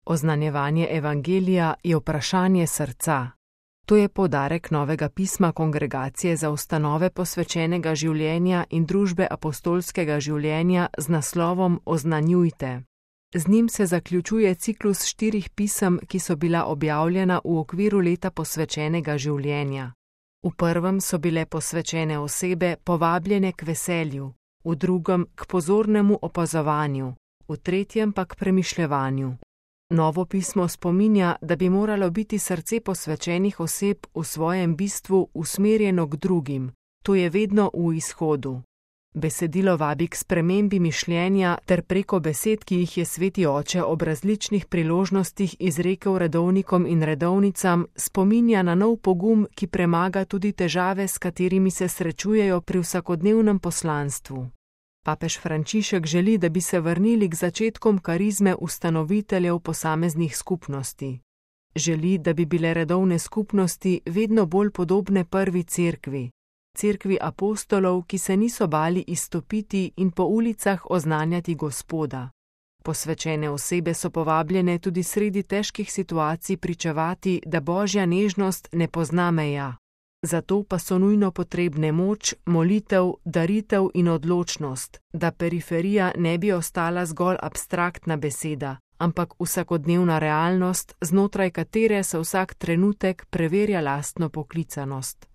Oznanjevanje evangelija je vprašanje srca. To je poudarek novega pisma Kongregacije za ustanove posvečenega življenja in družbe apostolskega življenja z naslovom Oznanjujte. Z njim se zaključuje ciklus 4 pisem, ki so bila objavljena v okviru leta posvečenega življenja. V prvem so bile posvečene osebe povabljene k veselju, v drugem k pozornemu opazovanju, v tretjem pa k premišljevanju. Novo pismo spominja, da bi moralo biti srce posvečenih oseb v svojem bistvu usmerjeno k drugim, to je vedno v izhodu. Besedilo vabi k spremembi mišljenja ter preko besed, ki jih je Sveti Oče ob različnih priložnostih izrekel redovnikom in redovnicam, spominja na nov pogum, ki premaga tudi težave, s katerimi se srečujejo pri vsakodnevnem poslanstvu. Papež Frančišek želi, da bi se vrnili k začetkom karizme ustanoviteljev posameznih skupnosti. Želi, da bi bile redovne skupnosti vedno bolj podobne prvi cerkvi, cerkvi apostolov, ki se niso bali izstopiti in po ulicah oznanjati Gospoda. Posvečene osebe so povabljene tudi sredi težkih situacij pričevati, da Božja nežnost ne pozna meja. Zato pa so nujno potrebne moč, molitev, daritev in odločnost, da periferija ne bi ostala zgolj abstraktna beseda, ampak vsakodnevna realnost, znotraj katere se vsak trenutek preverja lastno poklicanost.